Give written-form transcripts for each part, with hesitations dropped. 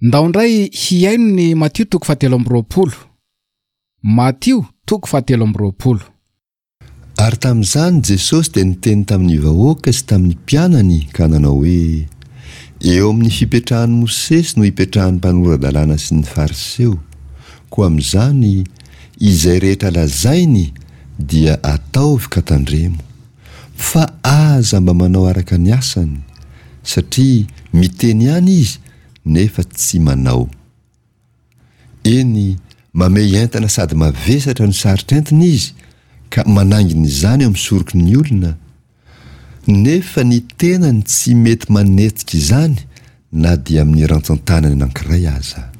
Ndao indray hihaino ny Matio toko fahatelo amby 20. Matio toko fahatelo amby 20. Ary tamin'izany Jesosy dia niteny tamin'ny vahoaka sy tamin'ny mpianany ka nanao hoe, Eo amin'ny fipetrahan'i Mosesy no ipetrahan'ny mpanora-dalàna sy ny Fariseo, koa amin'izany izay rehetra lazainy dia ataovy ka tandremo, fa aza mba manao araka ny asany, satria miteny ihany izy nefa tsy manao. Eny, mamehy entana sady mavesatra no sarotra entina izy ka manaingina izany eo amin'ny soroky ny olona, nefa ny tenany tsy mety manetsika izany na dia amin'ny rantsan-tanany anankiray aza.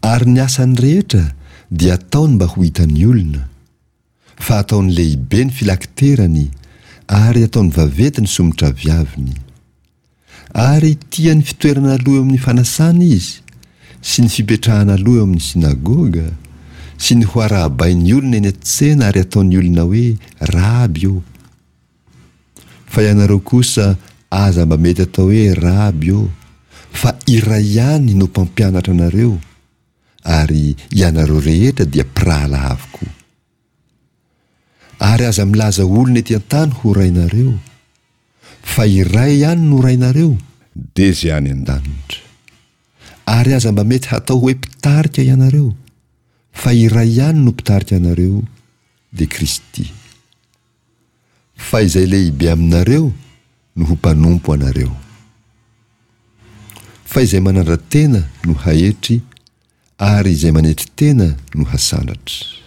Ary ny asany rehetra dia ataony mba ho hitan'ny olona, fa ataony lehibe ny filakiterany ary ataony vaventy ny somotraviaviny. Ary tia ny fitoerana aloha eo amin'ny fanasana izy, sy ny fipetrahana aloha eo amin'ny synagoga, sy ny ho arahabain'ny olona eny an-tsena ary ataon'ny olona hoe, Raby ô! Fa ianareo kosa aza mba mety atao hoe Raby ô, fa iray ihany no mpampianatra anareo, ary ianareo rehetra dia mpirahalahy avokoa. Ary aza milaza olona ety an-tany ho rainareo, fa iray ihany no Rainareo, dia izay any an-danitra. Ary aza mba mety hatao hoe mpitarika ianareo, fa iray ihany no mpitarika anareo, dia Kristy. Fa izay lehibe aminareo no ho mpanompo anareo. Fa izay manandra-tena no haetry, ary izay manetry tena no hasandratra.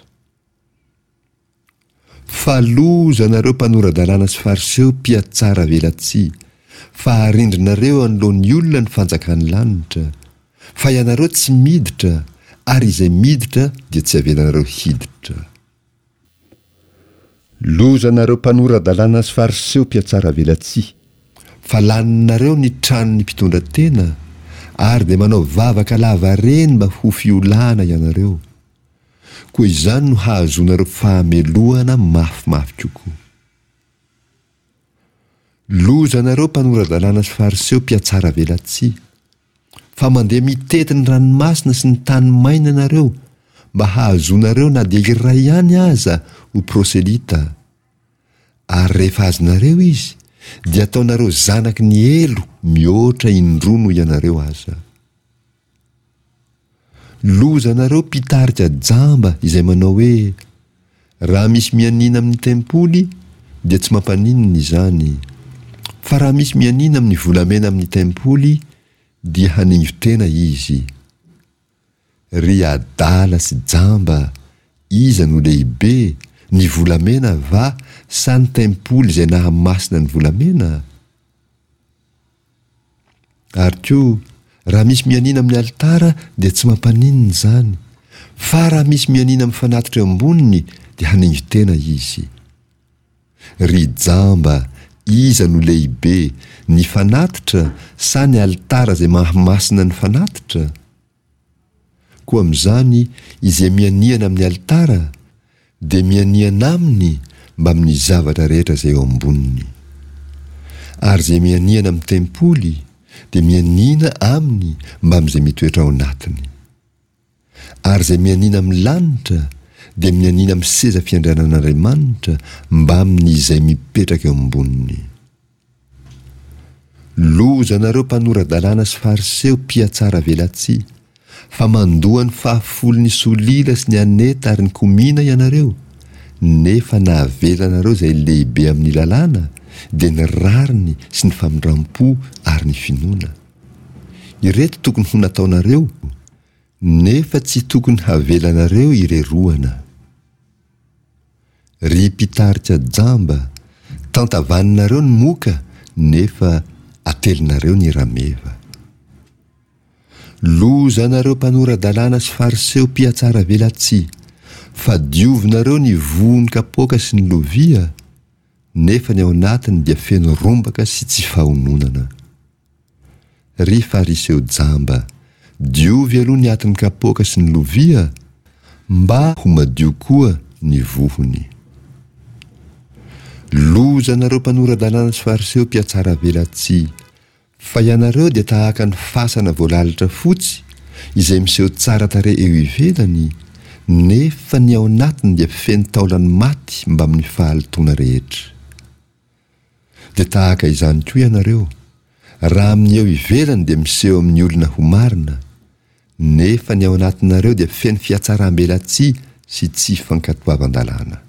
Fa loza anareo mpanora-dalàna sy fariseo mpihatsara velatsihy, fa arindrinareo anoloan'ny olona ny fanjakan'ny lanitra, fa ianareo tsy miditra, ary izay miditra dia tsy avelanareo hiditra. Loza anareo mpanora-dalàna sy fariseo mpihatsara velatsihy, fa laninareo ny tranon'ny mpitondra tena, ary dia manao vavaka lavareny mba ho fiolahana ianareo. Koa izany no hahazoanareo fahamelohana mafimafy kokoa. Loza anareo mpanora-dalàna sy fariseo mpihatsara velatsihy, fa mandeha mitety ny ranomasina sy ny tany maina ianareo mba hahazoanareo na dia iray ihany aza ho proselyta, ary rehefa azonareo izy dia ataonareo zanaky ny helo mihoatra indroa noho ianareo aza. Lozanareo mpitarika jamba izay manao hoe, Raha misy mianiana amin'ny tempoly dia tsy mampaninona izany, fa raha misy mianiana amin'ny volamena amin'ny tempoly dia haningo-tena izy. Ry adala sy jamba, iza no lehibe, ny volamena va sa ny tempoly izay nahamasina ny volamena? Ary koa, raha misy mianiana amin'ny alitara dia tsy mampaninona izany, fa raha misy mianiana amin'ny fanatitra eo amboniny dia haningo-tena izy. Ry jamba, iza no lehibe, ny fanatitra sa ny alitara izay mahamasina ny fanatitra? Koa amin'izany izay mianiana amin'ny alitara dia mianiana aminy mbamin'ny zavatra rehetra izay eo amboniny. Ary izay mianiana amin'ny tempoly dia mianiana aminy mbamin'izay mitoetra ao anatiny. Ary izay mianiana amin'ny lanitra dia mianiana amin'ny seza fiandrianan'Andriamanitra mbamin'izay mipetraka eo amboniny. Loza anareo mpanora-dalàna sy fariseo mpihatsara velatsihy, fa mandoa ny fahafolon'ny solila sy ny aneta ary ny komina ianareo, nefa nahavelanareo izay lehibe amin'ny lalàna, dia ny rariny sy ny famindram-po ary ny finoana. Ireto tokony ho nataonareo, nefa tsy tokony havelanareo ireroana. Ry mpitarika jamba, tantavaninareo ny moka nefa atelinareo ny rameva. Loza anareo mpanora-dalàna sy fariseo mpihatsaravelatsihy, fa diovinareo ny vohon'ny kapoaka sy ny lovia, nefa ny ao anatiny dia feno rombaka sy tsy fahononana. Ry Fariseo jamba, diovy aloha ny atin'ny kapoaka sy ny lovia, mba ho madio koa ny vohony. Loza anareo mpanora-dalàna sy Fariseo mpihatsaravelatsihy! Fa ianareo dia tahaka ny fasana voalalitra fotsy izay miseho tsara tarehy eo ivelany, nefa ny ao anatiny dia feno taolan'ny maty mbamin'ny fahalotoana rehetra. Dia tahaka izany koa ianareo, raha amin'ny eo ivelany dia miseho amin'ny olona ho marina, nefa ny ao anatinareo dia feno fihatsaram-belatsihy sy tsy fankatoavan-dalàna.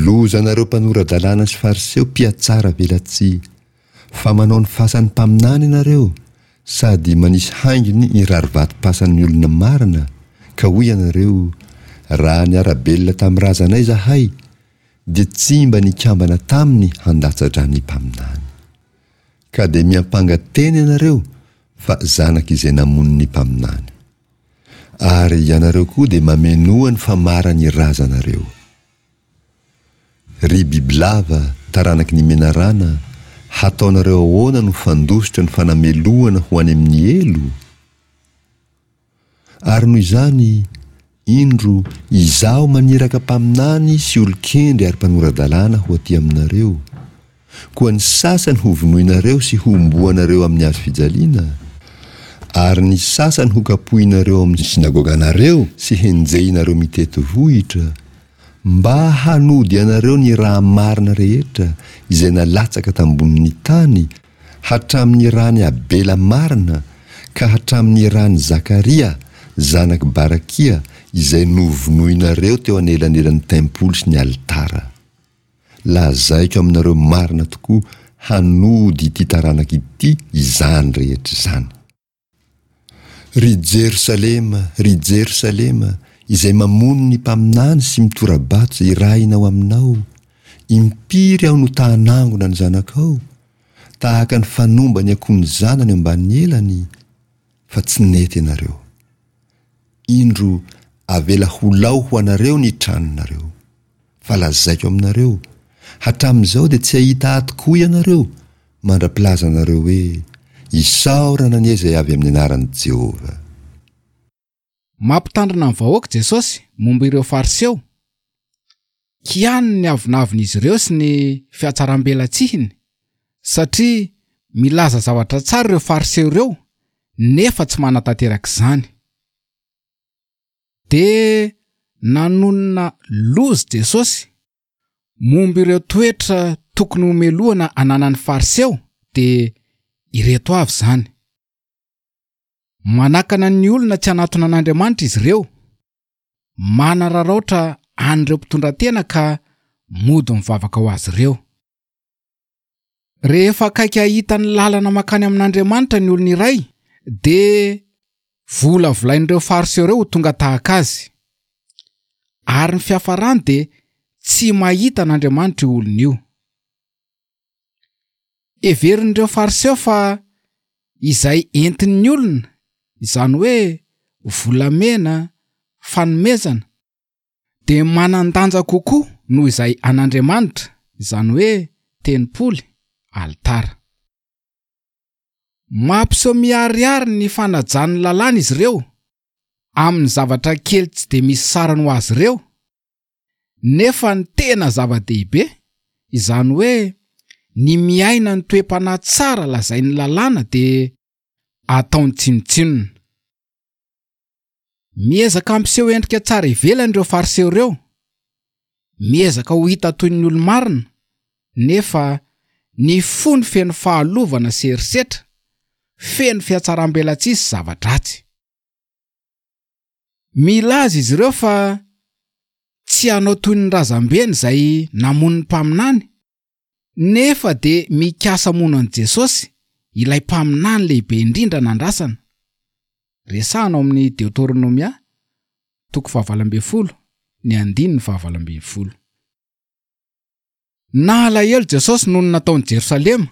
Lozanareo mpanora-dalàna sy Fariseo mpihatsara velatsihy, fa manao ny fasan'ny mpaminany ianareo, sady manisy haingony ny rarivatom-pasan'ny olona marina, ka hoy ianareo, Raha niara-belona tamin'ny razanay izahay, dia tsy mba nikambana taminy handatsa-drà ny mpaminany. Ka dia miampanga tena ianareo fa zanak'izay namono ny mpaminany. Ary ianareo koa dia mamenoa ny famaran'ny razanareo. Ry bibilava, taranaky ny menarana, hataonareo ahoana no fandositra ny fanamelohana ho any amin'ny helo? Ary noho izany, indro, Izaho maniraka mpaminany sy olon-kendry ary mpanora-dalàna ho aty aminareo, koa ny sasany hovonoinareo sy hohomboanareo amin'ny hazo fijaliana, ary ny sasany hokapohinareo ao amin'ny synagoganareo sy henjehinareo mitety vohitra, mba hanody anareo ny raha marina rehetra izay nalatsaka tambonin'ny tany hatramin'ny ran'i Abela marina ka hatramin'ny ran'i Zakaria zanak'i Barakia izay novonoinareo teo anelanelan'ny tempoly sy ny alitara. Lazaiko aminareo marina tokoa hanody ity taranaka ity izany rehetra izany. Ry Jerosalema, ry Jerosalema, izay mamono ny mpaminany sy mitora-bato izay irahina ho aminao, impiry aho no ta-hanangona ny zanakao, tahaka ny fanomba ny akoho ny zanany eo ambanin'ny elany, fa tsy nety ianareo. Indro, avela ho lao ho anareo ny tranonareo. Fa lazaiko aminareo, hatramin'izao dia tsy hahita ahy tokoa ianareo, mandra-pilazanareo hoe, Isaorana anie izay avy amin'ny anaran'i Jehovah! Mampitandrina ny vahoaka Jesosy momba ireo Fariseo. Kianiny ny avonavon'izy ireo sy ny fihatsarambelatsihiny, satria milaza zavatra tsara ireo Fariseo ireo nefa tsy manatanteraka izany. Dia nanonona loza Jesosy momba ireo toetra tokony homelohana ananan'ny Fariseo, dia ireto avy izany. Manakana ny olona tsy hanatona an'Andriamanitra izy ireo, manararaotra an'ireo mpitondra tena ka mody mivavaka ho azy ireo. Rehefa akaiky hahita ny lalana mankany amin'Andriamanitra ny olona iray, dia volavolain'ireo Fariseo ireo ho tonga tahaka azy. Ary ny fiafarany dia tsy mahita an'Andriamanitra io olona io. Heverin'ireo Fariseo fa izay entin'ny olona, izany hoe volamena, fanomezana, dia manan-danja kokoa noho izay an'Andriamanitra, izany hoe tempoly, alitara. Mampiseho miharihary ny fanajany ny lalàna izy ireo, amin'ny zavatra kely tsy dia misy sarany ho azy ireo, nefa ny tena zava-dehibe, izany hoe ny miaina ny toe-panahy tsara lazain'ny lalàna dia ataony tsinontsinona. Miezaka hampiseho endrika tsara ivelany ireo Fariseo ireo, miezaka ho hita toy ny olo-marina, nefa ny fony feno fahalovana sy herisetra, feno fihatsarambelatsihy sy zava-dratsy. Milaza izy ireo fa tsy hanao toy ny razambeny izay namono ny mpaminany, nefa dia mikasa hamono an'i Jesosy, ilay mpaminany lehibe indrindra nandrasana. Resahina ao amin'ny Deoteronomia, toko fahavalo ambin'ny folo, ny andininy fahavalo ambin'ny folo. Nalahelo Jesosy noho ny nataon'i Jerosalema,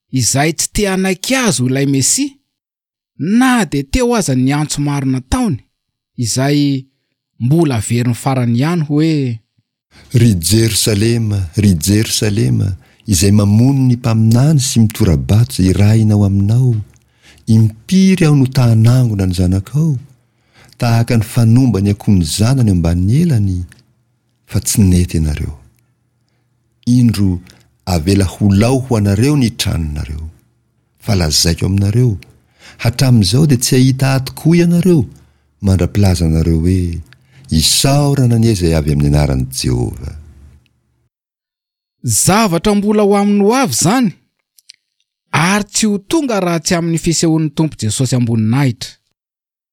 izay tsy te hanaiky azy ho ilay Mesia, na dia teo aza ny antso maro nataony, izay mbola averiny farany ihany hoe. Ry Jerosalema, ry Jerosalema, izay mamono ny mpaminany sy mitora-bato izay irahina ho aminao, impiry aho no ta-hanangona ny zanakao, tahaka ny fanomba ny akoho ny zanany eo ambanin'ny elany, fa tsy nety ianareo. Indro, avela ho lao ho anareo ny tranonareo. Fa lazaiko aminareo, hatramin'izao dia tsy hahita Ahy tokoa ianareo, mandra-pilazanareo hoe, Isaorana anie izay avy amin'ny anaran'i Jehovah. Zavatra mbola ho amin'ny ho avy izany, ary tsy ho tonga raha tsy amin'ny fisehoan'ny Tompo Jesosy am-boninahitra.